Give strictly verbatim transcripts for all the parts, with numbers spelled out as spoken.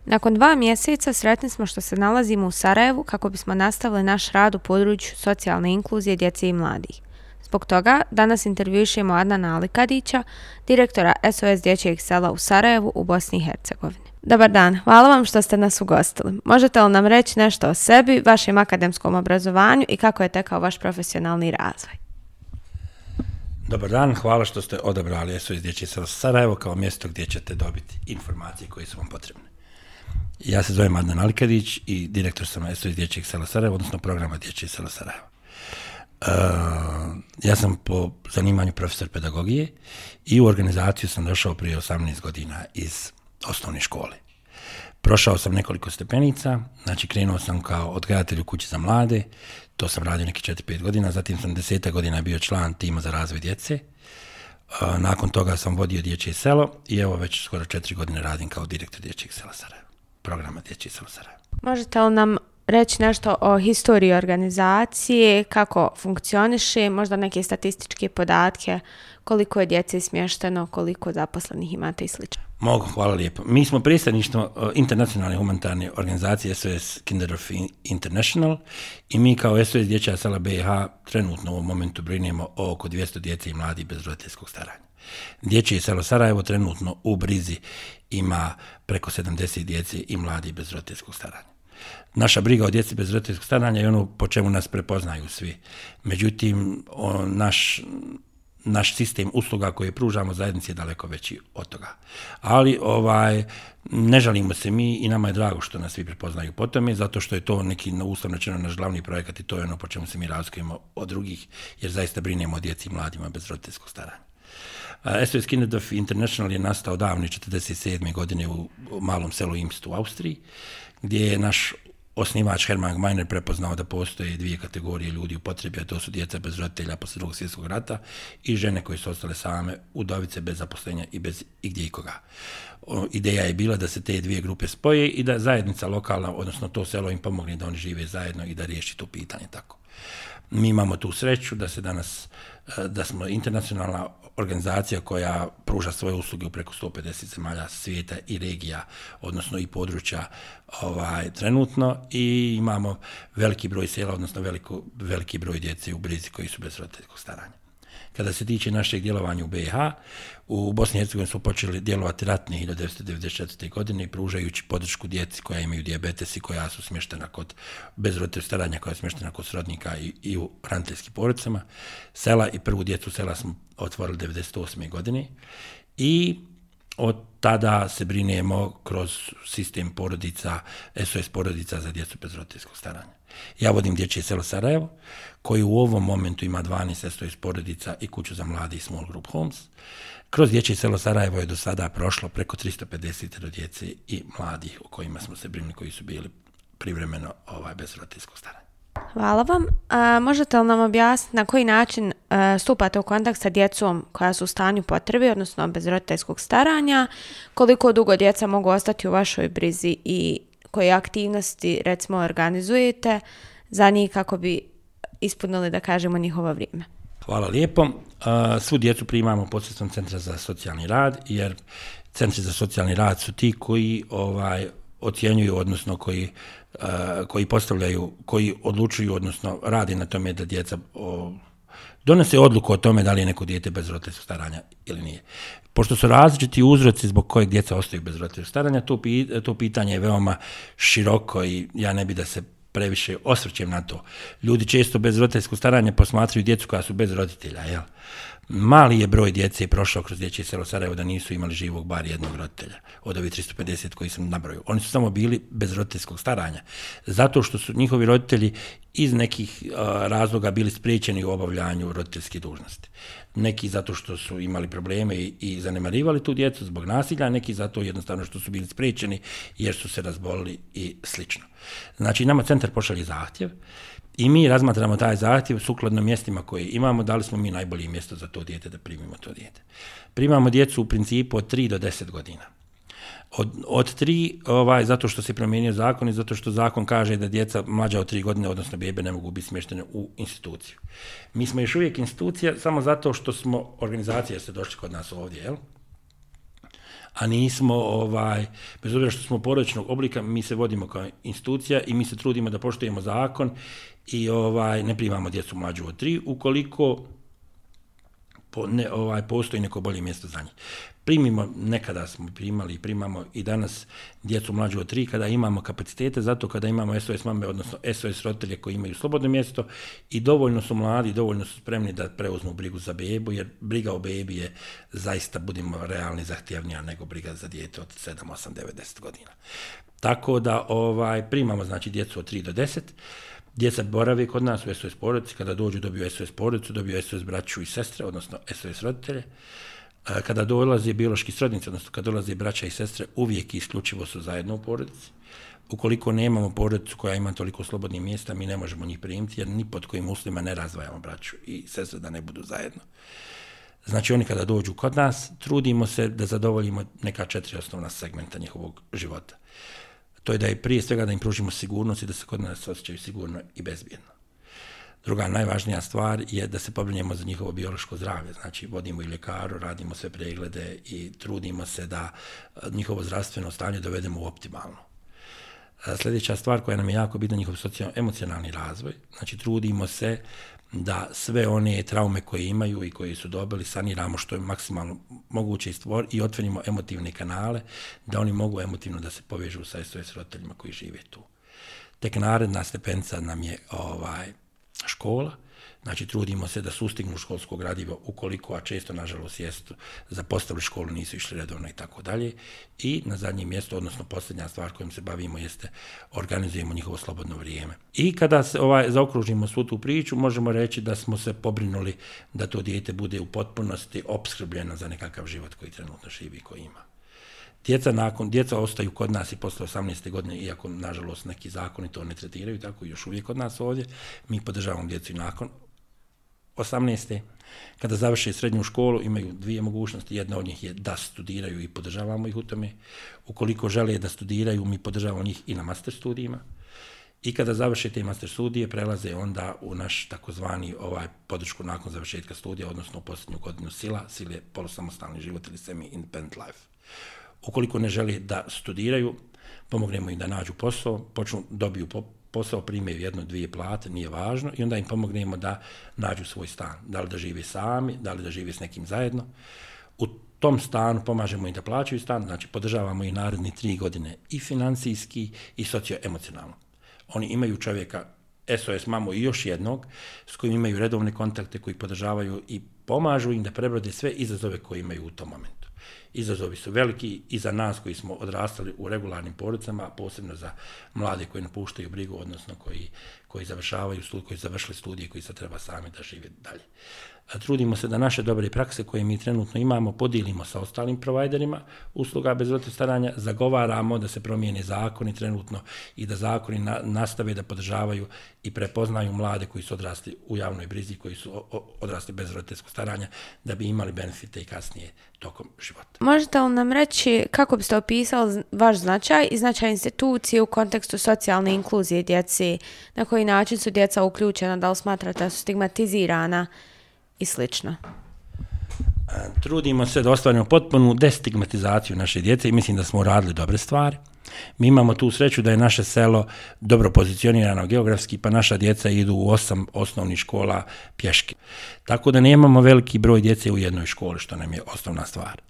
Nakon dva mjeseca sretni smo što se nalazimo u Sarajevu kako bismo nastavili naš rad u području socijalne inkluzije djece i mladih. Zbog toga danas intervjušemo Adnana Alikadića, direktora S O S dječjeg sela u Sarajevu u Bosni i Hercegovini. Dobar dan, hvala vam što ste nas ugostili. Možete li nam reći nešto o sebi, vašem akademskom obrazovanju i kako je tekao vaš profesionalni razvoj? Dobar dan, hvala što ste odabrali S O S dječje selo Sarajevo kao mjesto gdje ćete dobiti informacije koje su vam potrebne. Ja se zovem Adnan Alikadić i direktor sam S O S dječjeg sela Sarajevo, odnosno programa dječje selo Sarajevo. Uh, ja sam po zanimanju profesor pedagogije i u organizaciju sam došao prije osamnaest godina iz osnovne škole. Prošao sam nekoliko stepenica, znači krenuo sam kao odgajatelj u kući za mlade, to sam radio neki četiri pet godina, zatim sam deset godina bio član tima za razvoj djece. Uh, nakon toga sam vodio dječje selo i evo već skoro četiri godine radim kao direktor dječjeg sela Sarajevo, programa dječje selo Sarajevo. Možete li nam reći nešto o historiji organizacije, kako funkcioniše, možda neke statističke podatke, koliko je djece smješteno, koliko zaposlenih imate i slično? Mogu, hvala lijepo. Mi smo predstavništvo internacionalne humanitarne organizacije S O S Kinderdorf International i mi kao S O S dječja sela B i H trenutno u ovom momentu brinemo o oko dvjesto djece i mladih bez roditeljskog staranja. Dječje selo Sarajevo trenutno u brizi ima preko sedamdeset djece i mladih bez roditeljskog staranja. Naša briga o djeci bez roditeljskog staranja je ono po čemu nas prepoznaju svi. Međutim, o, naš, naš sistem usluga koje pružamo zajednici je daleko veći od toga. Ali ovaj, ne žalimo se mi i nama je drago što nas svi prepoznaju po tome, zato što je to neki uslovno rečeno naš glavni projekat i to je ono po čemu se mi razlikujemo od drugih, jer zaista brinemo o djeci i mladima bez roditeljskog staranja. S O S Kinderdorf International je nastao davne četrdeset sedme godine u malom selu Imst u Austriji, gdje je naš osnivač Hermann Gmeiner prepoznao da postoje dvije kategorije ljudi u potrebi, a to su djeca bez roditelja poslije Drugog svjetskog rata i žene koje su ostale same, udovice bez zaposlenja i bez igdje ikoga. O, ideja je bila da se te dvije grupe spoje i da zajednica lokalna, odnosno to selo im pomogne da oni žive zajedno i da riješi to pitanje tako. Mi imamo tu sreću da se danas, da smo internacionalna organizacija koja pruža svoje usluge u preko sto pedeset zemalja svijeta i regija, odnosno i područja ovaj, trenutno i imamo veliki broj sela, odnosno veliko, veliki broj djece u brizi koji su bez roditeljskog staranja. Kada se tiče našeg djelovanja u B i H, u Bosni i Hercegovini smo počeli djelovati ratne hiljadu devetsto devedeset četvrte. godine pružajući podršku djeci koja imaju dijabetes i koja su smještena kod bez roditeljskog staranja, koja je smještena kod srodnika i, i u hraniteljskim porodicama. Sela i prvu djecu sela smo otvorili devedeset osme. godine i od tada se brinemo kroz sistem porodica, S O S porodica za djecu bez roditeljskog staranja. Ja vodim dječje selo Sarajevo, koji u ovom momentu ima dvanaest S O S porodica i kuću za mladi i small group homes. Kroz dječje selo Sarajevo je do sada prošlo preko tristo pedeset djece i mladih o kojima smo se brinuli, koji su bili privremeno ovaj, bez roditeljskog staranja. Hvala vam. A, možete li nam objasniti na koji način a, stupate u kontakt sa djecom koja su u stanju potrebe, odnosno bez roditeljskog staranja, koliko dugo djeca mogu ostati u vašoj brizi i koje aktivnosti, recimo, organizujete za njih kako bi ispunili, da kažemo, njihovo vrijeme? Hvala lijepo. Svu djecu primamo posredstvom Centra za socijalni rad, jer Centri za socijalni rad su ti koji ovaj, ocjenjuju, odnosno koji, koji postavljaju, koji odlučuju, odnosno radi na tome da djeca o, donose odluku o tome da li je neko dijete bez roditeljskog staranja ili nije. Pošto su različiti uzroci zbog kojeg djeca ostaju bez roditeljskog staranja, to, to pitanje je veoma široko i ja ne bi da se previše osvrćem na to. Ljudi često bez roditeljskog staranja posmatraju djecu koja su bez roditelja, jel? Mali je broj djece prošao kroz dječje selo Sarajevo da nisu imali živog bar jednog roditelja od ovih tristo pedeset koji sam nabrojio. Oni su samo bili bez roditeljskog staranja, zato što su njihovi roditelji iz nekih uh, razloga bili spriječeni u obavljanju roditeljske dužnosti. Neki zato što su imali probleme i, i zanemarivali tu djecu zbog nasilja, neki zato jednostavno što su bili spriječeni jer su se razbolili i slično. Znači, nama centar pošalje zahtjev i mi razmatramo taj zahtjev sukladno mjestima koje imamo, da li smo mi najbolje mjesto za to dijete da primimo to dijete. Primamo djecu u principu od tri do deset godina. Od, od tri, ovaj, zato što se promijenio zakon i zato što zakon kaže da djeca mlađa od tri godine, odnosno bebe, ne mogu biti smještene u instituciju. Mi smo još uvijek institucija samo zato što smo organizacija, ste došli kod nas ovdje, jel? a nismo, ovaj, bez obzira što smo porodičnog oblika, mi se vodimo kao institucija i mi se trudimo da poštujemo zakon i ovaj, ne primamo djecu mlađu od tri, ukoliko po, ne, ovaj, postoji neko bolje mjesto za njih. Primimo, nekada smo primali i primamo i danas djecu mlađu od tri kada imamo kapacitete, zato kada imamo S O S mame, odnosno S O S roditelje koji imaju slobodno mjesto i dovoljno su mladi, dovoljno su spremni da preuzmu brigu za bebu, jer briga o bebi je zaista, budimo realni, zahtjevnija nego briga za dijete od sedam, osam, devet, deset godina. Tako da ovaj, primamo znači djecu od tri do deset. Djeca borave kod nas u S O S porodici, kada dođu dobiju S O S porodicu, dobiju S O S braću i sestre, odnosno S O S roditelje. Kada dolaze biološki srodnici, odnosno kada dolaze braća i sestre, uvijek i isključivo su zajedno u porodici. Ukoliko nemamo porodicu koja ima toliko slobodnih mjesta, mi ne možemo njih primiti, jer ni pod kojim uslovima ne razdvajamo braću i sestre da ne budu zajedno. Znači oni kada dođu kod nas, trudimo se da zadovoljimo neka četiri osnovna segmenta njihovog života. To je da je prije svega da im pružimo sigurnost i da se kod nas osjećaju sigurno i bezbjedno. Druga najvažnija stvar je da se pobrinemo za njihovo biološko zdravlje, znači vodimo i ljekaru, radimo sve preglede i trudimo se da njihovo zdravstveno stanje dovedemo u optimalno. Sljedeća stvar koja nam je jako bitna, njihov socijalno-emocionalni razvoj, znači trudimo se da sve one traume koje imaju i koje su dobili saniramo što je maksimalno moguće i stvor i otvorimo emotivne kanale, da oni mogu emotivno da se povežu sa S O S roditeljima koji žive tu. Tek naredna stepenica nam je ovaj, škola, znači trudimo se da sustignu školsko gradivo ukoliko, a često nažalost jesu zapostavili školu, nisu išli redovno i tako dalje. I na zadnjem mjestu, odnosno posljednja stvar kojom se bavimo jeste organizujemo njihovo slobodno vrijeme. I kada se ovaj, zaokružimo svu tu priču, možemo reći da smo se pobrinuli da to dijete bude u potpunosti opskrbljeno za nekakav život koji trenutno živi i koji ima. Djeca, nakon, djeca ostaju kod nas i posle osamnaeste godine, iako nažalost neki zakoni to ne tretiraju, tako još uvijek kod nas ovdje. Mi podržavamo djecu i nakon osamnaeste. Kada završe srednju školu imaju dvije mogućnosti, jedna od njih je da studiraju i podržavamo ih u tome. Ukoliko žele da studiraju, mi podržavamo njih i na master studijima. I kada završe te master studije, prelaze onda u naš takozvani ovaj podršku nakon završetka studija, odnosno u posljednju godinu sila, sile polusamostalni život ili semi-independent life. Ukoliko ne želi da studiraju, pomognemo im da nađu posao, počnu, dobiju posao, primaju jedno, dvije plate, nije važno, i onda im pomognemo da nađu svoj stan. Da li da žive sami, da li da žive s nekim zajedno. U tom stanu pomažemo im da plaćaju stan, znači podržavamo ih naredne tri godine i financijski i socioemocionalno. Oni imaju čovjeka, S O S mamu i još jednog, s kojim imaju redovne kontakte, koji podržavaju i pomažu im da prebrode sve izazove koje imaju u tom momentu. Izazovi su veliki i za nas koji smo odrastali u regularnim porodicama, a posebno za mlade koji napuštaju brigu, odnosno koji, koji završavaju studije, koji završili studije, koji sad treba sami da žive dalje. Trudimo se da naše dobre prakse koje mi trenutno imamo podijelimo sa ostalim provajderima usluga bez roditeljskog staranja, zagovaramo da se promijene zakoni trenutno i da zakoni na, nastave da podržavaju i prepoznaju mlade koji su odrasli u javnoj brizi, koji su o, o, odrasli bez roditeljskog staranja, da bi imali benefite i kasnije tokom života. Možete li nam reći kako biste opisali vaš značaj i značaj institucije u kontekstu socijalne inkluzije djeci, na koji način su djeca uključena, da li smatrate da su stigmatizirana i slično? Trudimo se da ostvarimo potpunu destigmatizaciju naše djece i mislim da smo uradili dobre stvari. Mi imamo tu sreću da je naše selo dobro pozicionirano geografski, pa naša djeca idu u osam osnovnih škola pješke. Tako da nemamo veliki broj djece u jednoj školi, što nam je osnovna stvar.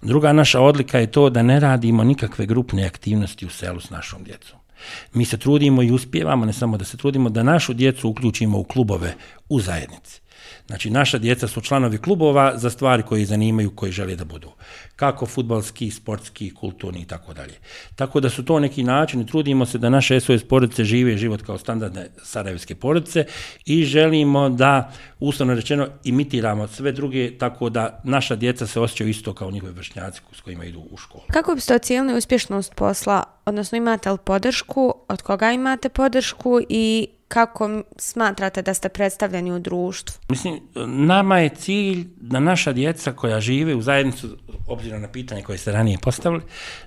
Druga naša odlika je to da ne radimo nikakve grupne aktivnosti u selu s našom djecom. Mi se trudimo i uspijevamo, ne samo da se trudimo, da našu djecu uključimo u klubove u zajednici. Znači, naša djeca su članovi klubova za stvari koje ih zanimaju, koje žele da budu. Kako fudbalski, sportski, kulturni i tako dalje. Tako da su to neki načini, trudimo se da naše S O S porodice žive život kao standardne sarajevske porodice i želimo da, uslovno rečeno, imitiramo sve druge, tako da naša djeca se osjećaju isto kao njihovi vršnjaci s kojima idu u školu. Kako biste ocijenili uspješnost posla, odnosno imate li podršku, od koga imate podršku i kako smatrate da ste predstavljeni u društvu? Mislim, nama je cilj da naša djeca koja žive u zajednicu, obzirom na pitanje koje ste ranije postavili,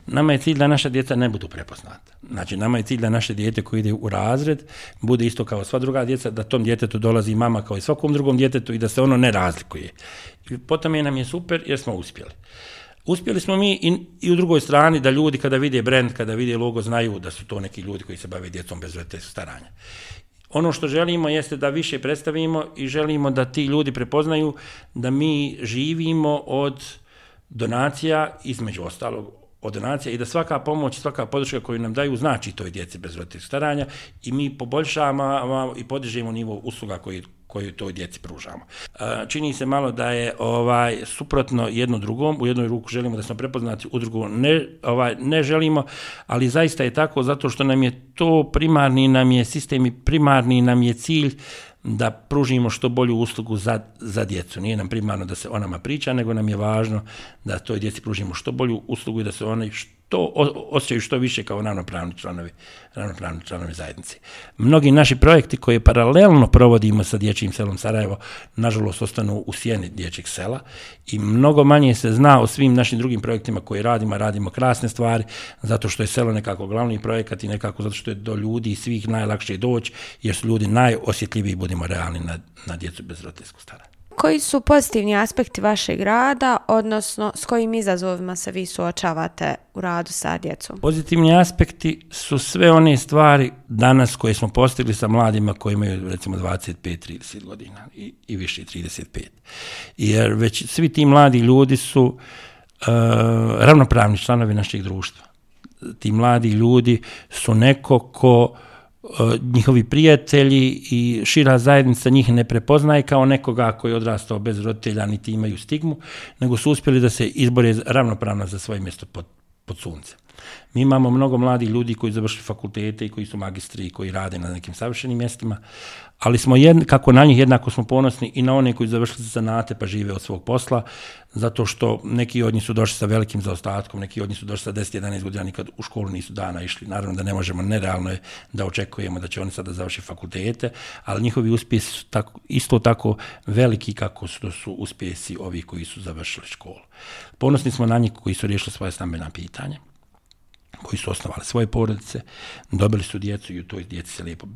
nama je cilj da naša djeca ne budu prepoznata. Znači, nama je cilj da naše dijete koje ide u razred bude isto kao sva druga djeca, da tom djetetu dolazi mama kao i svakom drugom djetetu i da se ono ne razlikuje. I potom je nam je super jer smo uspjeli. Uspjeli smo mi i, i u drugoj strani da ljudi kada vide brand, kada vide logo, znaju da su to neki ljudi koji se bave djecom bez roditeljskog staranja. Ono što želimo jeste da više predstavimo i želimo da ti ljudi prepoznaju da mi živimo od donacija, između ostalog od donacija, i da svaka pomoć, svaka podrška koju nam daju znači toj djeci bez roditeljskog staranja i mi poboljšavamo i podižemo nivo usluga koji koju toj djeci pružamo. Čini se malo da je ovaj suprotno jedno drugom, u jednoj ruku želimo da smo prepoznati, u drugu ne, ovaj, ne želimo, ali zaista je tako zato što nam je to primarni, nam je sistem i primarni nam je cilj da pružimo što bolju uslugu za, za djecu. Nije nam primarno da se o nama priča, nego nam je važno da toj djeci pružimo što bolju uslugu i da se oni što osjećaju što više kao ravnopravni članovi, ravnopravni članovi zajednice. Mnogi naši projekti koje paralelno provodimo sa Dječjim selom Sarajevo, nažalost ostanu u sjeni Dječjeg sela i mnogo manje se zna o svim našim drugim projektima koje radimo, radimo krasne stvari, zato što je selo nekako glavni projekat i nekako zato što je do ljudi i svih najlakše doći, jer su ljudi najosjetljiviji, budimo realni, na, na djecu bez roditeljskog staranja. Koji su pozitivni aspekti vašeg rada, odnosno s kojim izazovima se vi suočavate u radu sa djecom? Pozitivni aspekti su sve one stvari danas koje smo postigli sa mladima koji imaju recimo dvadeset pet do trideset godina i, i više trideset pet. Jer već svi ti mladi ljudi su uh, ravnopravni članovi našeg društva. Ti mladi ljudi su neko ko njihovi prijatelji i šira zajednica njih ne prepoznaje kao nekoga koji je odrastao bez roditelja, niti imaju stigmu, nego su uspjeli da se izbore ravnopravno za svoje mjesto pod, pod suncem. Mi imamo mnogo mladih ljudi koji završili fakultete i koji su magistri i koji rade na nekim savršenim mjestima, ali smo jedn, kako na njih jednako smo ponosni i na one koji završili zanate pa žive od svog posla, zato što neki od njih su došli sa velikim zaostatkom, neki od njih su došli sa deset do jedanaest godina, nikad u školu nisu dana išli. Naravno da ne možemo, nerealno je da očekujemo da će oni sada završiti fakultete, ali njihovi uspjesi su tako, isto tako veliki kako su, su uspjesi ovih koji su završili školu. Ponosni smo na njih koji su riješili svoje stambena pitanja, koji su osnovali svoje porodice, dobili su djecu i u toj djeci se lijepo,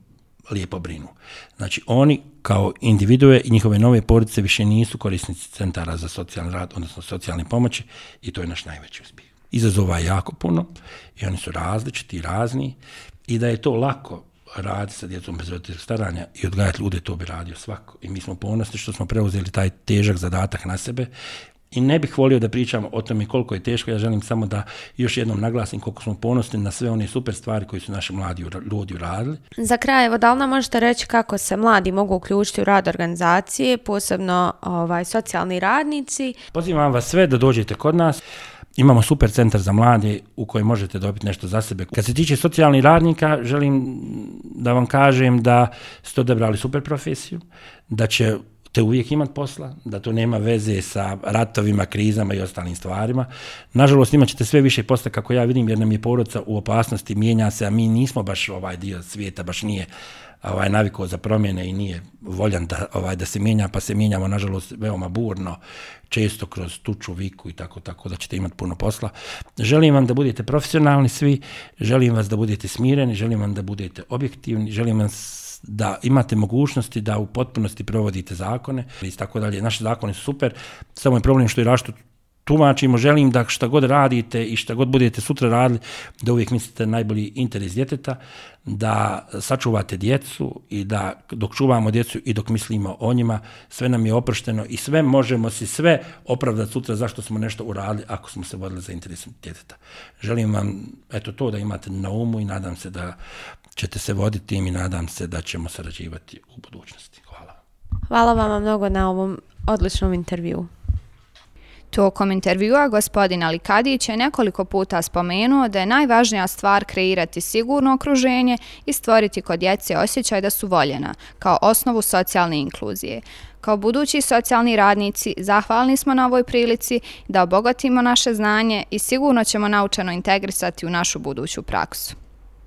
lijepo brinu. Znači, oni kao individue i njihove nove porodice više nisu korisnici centara za socijalni rad, odnosno socijalne pomoći, i to je naš najveći uspjeh. Izazova je jako puno i oni su različiti i razni, i da je to lako raditi sa djecom bez roditeljskog staranja i odgajati ljude, to bi radio svako. I mi smo ponosni što smo preuzeli taj težak zadatak na sebe. I ne bih volio da pričamo o tome koliko je teško, ja želim samo da još jednom naglasim koliko smo ponosni na sve one super stvari koje su naši mladi ljudi uradili. Za kraj, evo, da li nam možete reći kako se mladi mogu uključiti u rad organizacije, posebno ovaj, socijalni radnici? Pozivam vas sve da dođete kod nas. Imamo super centar za mlade u kojem možete dobiti nešto za sebe. Kad se tiče socijalnih radnika, želim da vam kažem da ste odabrali super profesiju, da će te uvijek imat posla, da to nema veze sa ratovima, krizama i ostalim stvarima. Nažalost, imat ćete sve više posla, kako ja vidim, jer nam je porodica u opasnosti, mijenja se, a mi nismo baš ovaj dio svijeta, baš nije ovaj navikao za promjene i nije voljan da, ovaj, da se mijenja, pa se mijenjamo, nažalost, veoma burno, često kroz tuču, viku i tako, tako da ćete imati puno posla. Želim vam da budete profesionalni svi, želim vas da budete smireni, želim vam da budete objektivni, želim vas da imate mogućnosti da u potpunosti provodite zakone i tako dalje. Naši zakoni su super, samo je problem što i različito tumačimo. Želim da šta god radite i šta god budete sutra radili, da uvijek mislite najbolji interes djeteta, da sačuvate djecu i da dok čuvamo djecu i dok mislimo o njima, sve nam je oprošteno i sve možemo si sve opravdati sutra zašto smo nešto uradili ako smo se vodili za interes djeteta. Želim vam eto to da imate na umu i nadam se da ćete se voditi tim i nadam se da ćemo sarađivati u budućnosti. Hvala. Hvala vama mnogo na ovom odličnom intervjuu. Tokom intervjua gospodin Alikadić je nekoliko puta spomenuo da je najvažnija stvar kreirati sigurno okruženje i stvoriti kod djece osjećaj da su voljena, kao osnovu socijalne inkluzije. Kao budući socijalni radnici, zahvalni smo na ovoj prilici da obogatimo naše znanje i sigurno ćemo naučeno integrisati u našu buduću praksu.